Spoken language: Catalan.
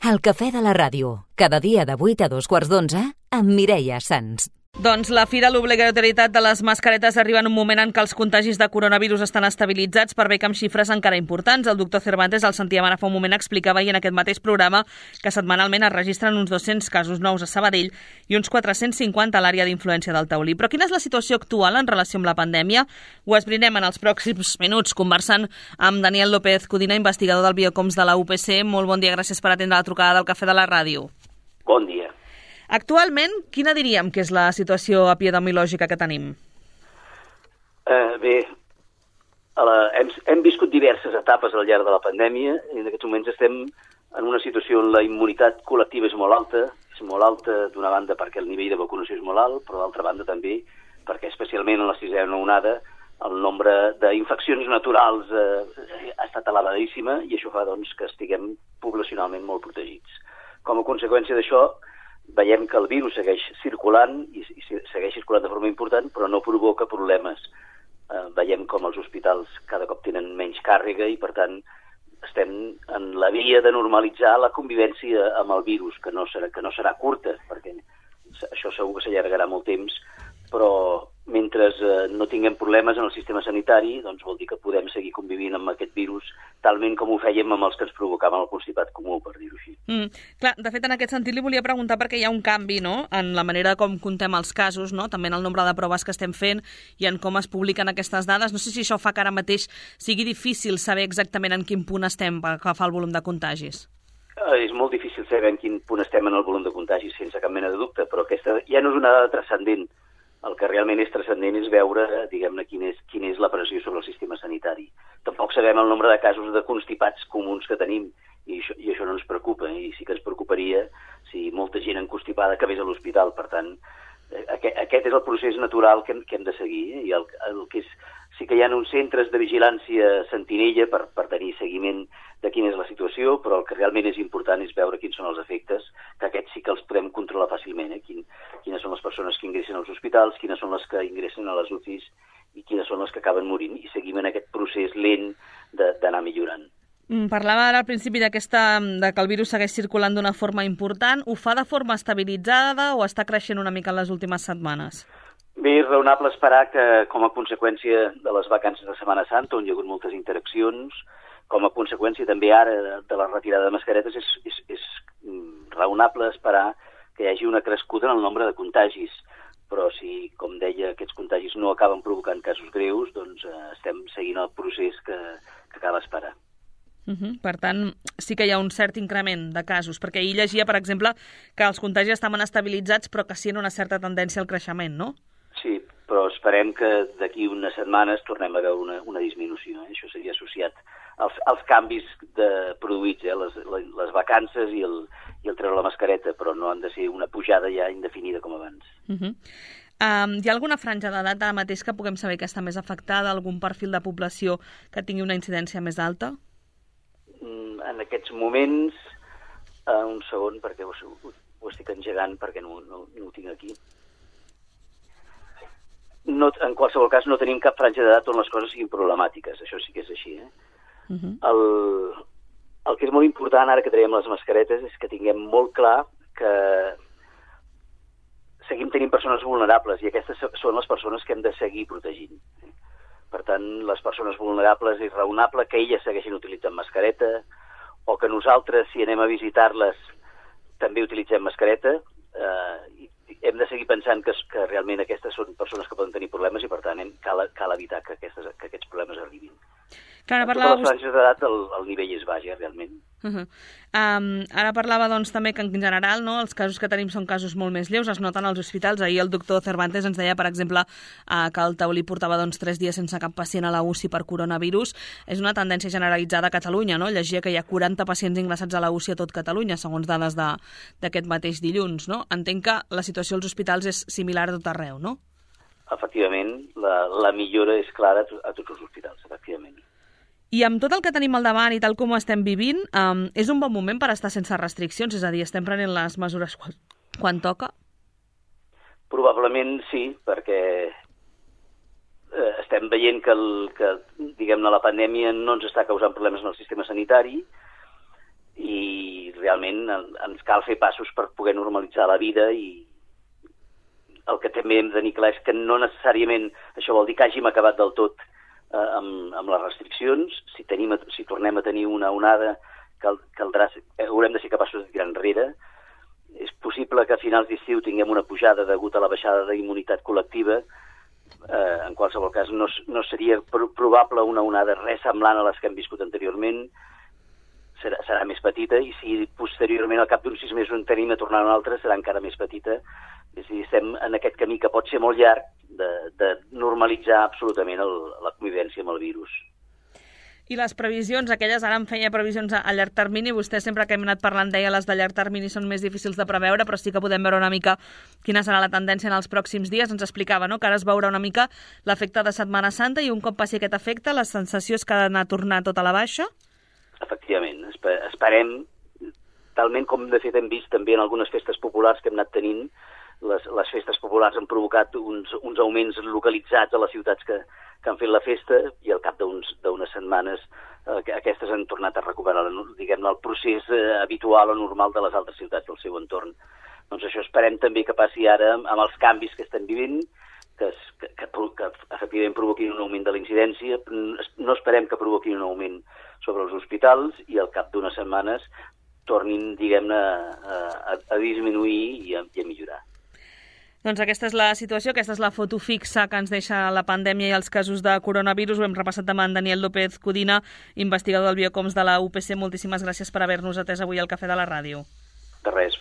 El cafè de la ràdio, cada dia de 8 a 2:15 amb Mireia Sans. Doncs la fi de l'obligatorietat de les mascaretes arriba en un moment en què els contagis de coronavirus estan estabilitzats, per bé que amb xifres encara importants. El doctor Cervantes, el sentíem ara fa un moment, explicava ahir en aquest mateix programa que setmanalment es registren uns 200 casos nous a Sabadell i uns 450 a l'àrea d'influència del Taulí. Però quina és la situació actual en relació amb la pandèmia? Ho esbrinem en els pròxims minuts conversant amb Daniel López Codina, investigador del Biocoms de la UPC. Molt bon dia, gràcies per atendre la trucada del Cafè de la Ràdio. Bon dia. Actualment, quina diríem que és la situació epidemiològica que tenim? Bé, hem viscut diverses etapes al llarg de la pandèmia i en aquests moments estem en una situació on la immunitat col·lectiva és molt alta d'una banda perquè el nivell de vacunació és molt alt, però d'altra banda també perquè especialment en la sisena onada el nombre d'infeccions naturals ha estat elevadíssima i això fa doncs, que estiguem poblacionalment molt protegits. Com a conseqüència d'això, veiem que el virus segueix circulant i segueix circulant de forma important, però no provoca problemes. Veiem com els hospitals cada cop tenen menys càrrega i, per tant, estem en la via de normalitzar la convivència amb el virus, que no serà curta, perquè això segur que s'allargarà molt temps, però mentre no tinguem problemes en el sistema sanitari, doncs vol dir que podem seguir convivint amb aquest virus talment com ho fèiem amb els que ens provocaven el constipat comú, per dir-ho així. Clar, de fet, en aquest sentit li volia preguntar perquè hi ha un canvi, no?, en la manera com contem els casos, no?, també en el nombre de proves que estem fent i en com es publiquen aquestes dades. No sé si això fa que ara mateix sigui difícil saber exactament en quin punt estem per agafar el volum de contagis. És molt difícil saber en quin punt estem en el volum de contagis, sense cap mena de dubte, però aquesta ja no és una dada transcendent. El que realment és transcendent és veure, diguem-ne, quina és la pressió sobre el sistema sanitari. Tampoc sabem el nombre de casos de constipats comuns que tenim, i això no ens preocupa, i sí que ens preocuparia si molta gent enconstipada acabés a l'hospital. Per tant, aquest és el procés natural que hem de seguir, i el que és, sí que hi ha uns centres de vigilància sentinella per tenir seguiment de quina és la situació, però el que realment és important és veure quins són els efectes, que aquests sí que els podem controlar fàcilment, quines són les persones que ingressen als hospitals, quines són les que ingressen a les UCIs i quines són les que acaben morint, i seguim en aquest procés lent d'anar millorant. Parlava ara al principi de que el virus segueix circulant d'una forma important. Ho fa de forma estabilitzada o està creixent una mica en les últimes setmanes? Bé, és raonable esperar que, com a conseqüència de les vacances de Setmana Santa, on hi ha hagut moltes interaccions, com a conseqüència també ara de la retirada de mascaretes, és raonable esperar que hi hagi una crescuda en el nombre de contagis. Però si, com deia, aquests contagis no acaben provocant casos greus, doncs estem seguint el procés que cal esperar. Per tant, sí que hi ha un cert increment de casos, perquè ahir llegia, per exemple, que els contagis estaven estabilitzats però que sí en una certa tendència al creixement, no? Sí, però esperem que d'aquí unes setmanes tornem a veure una disminució. Això seria associat als canvis produïts, les vacances i el treure la mascareta, però no han de ser una pujada ja indefinida com abans. Hi ha alguna franja d'edat ara mateix que puguem saber que està més afectada, algun perfil de població que tingui una incidència més alta? En aquests moments, un segon, perquè ho estic engegant perquè no ho tinc aquí. En qualsevol cas, no tenim cap franja d'edat on les coses siguin problemàtiques, això sí que és així. El que és molt important ara que traiem les mascaretes és que tinguem molt clar que seguim tenint persones vulnerables i aquestes són les persones que hem de seguir protegint. Per tant, les persones vulnerables és raonable que elles segueixin utilitzant mascareta o que nosaltres, si anem a visitar-les, també utilitzem mascareta. Hem de seguir pensant que realment aquestes són persones que poden tenir problemes i, per tant, cal evitar que aquests problemes arribin. Clar, en totes les franges d'edat el nivell és baix, realment. Ara parlava doncs, també que en general els casos que tenim són casos molt més lleus, es noten als hospitals. Ahir el doctor Cervantes ens deia, per exemple, que el Taulí portava 3 dies sense cap pacient a la UCI per coronavirus. És una tendència generalitzada a Catalunya, no? Llegia que hi ha 40 pacients ingressats a la UCI a tot Catalunya, segons dades d'aquest mateix dilluns, no? Entenc que la situació als hospitals és similar a tot arreu, no? Efectivament, la millora és clara a tots els hospitals, efectivament. I amb tot el que tenim al davant i tal com ho estem vivint, és un bon moment per estar sense restriccions? És a dir, estem prenent les mesures quan toca? Probablement sí, perquè estem veient que diguem-ne, la pandèmia no ens està causant problemes en el sistema sanitari i realment ens cal fer passos per poder normalitzar la vida, i el que també hem de tenir clar és que no necessàriament això vol dir que hàgim acabat del tot amb les restriccions. Si tornem a tenir una onada, haurem de ser capaços de tirar enrere. És possible que a finals d'estiu tinguem una pujada degut a la baixada d'immunitat col·lectiva. En qualsevol cas, no seria probable una onada res semblant a les que hem viscut anteriorment. Serà més petita, i si posteriorment, al cap d'uns 6 mesos, en tenim a tornar a una altra, serà encara més petita. És a dir, estem en aquest camí que pot ser molt llarg de normalitzar absolutament la convivència amb el virus. I les previsions, aquelles, ara em feia previsions a llarg termini, vostè sempre que hem anat parlant deia les de llarg termini són més difícils de preveure, però sí que podem veure una mica quina serà la tendència en els pròxims dies. Ens explicava, no?, que ara es veurà una mica l'efecte de Setmana Santa, i un cop passi aquest efecte, la sensació és que ha d'anar a tornar tot a la baixa? Efectivament, esperem, talment com de fet hem vist també en algunes festes populars que hem anat tenint. Les festes populars han provocat uns augments localitzats a les ciutats que han fet la festa, i al cap d'unes setmanes aquestes han tornat a recuperar, diguem-ne, el procés habitual o normal de les altres ciutats del seu entorn. Doncs això esperem també que passi ara amb els canvis que estem vivint, que efectivament provoquin un augment de la incidència. No esperem que provoquin un augment sobre els hospitals, i al cap d'unes setmanes tornin, diguem-ne, a disminuir i a millorar. Doncs aquesta és la situació, aquesta és la foto fixa que ens deixa la pandèmia i els casos de coronavirus. Ho hem repassat amb en Daniel López Codina, investigador del Biocoms de la UPC. Moltíssimes gràcies per haver-nos atès avui al Cafè de la Ràdio. De res.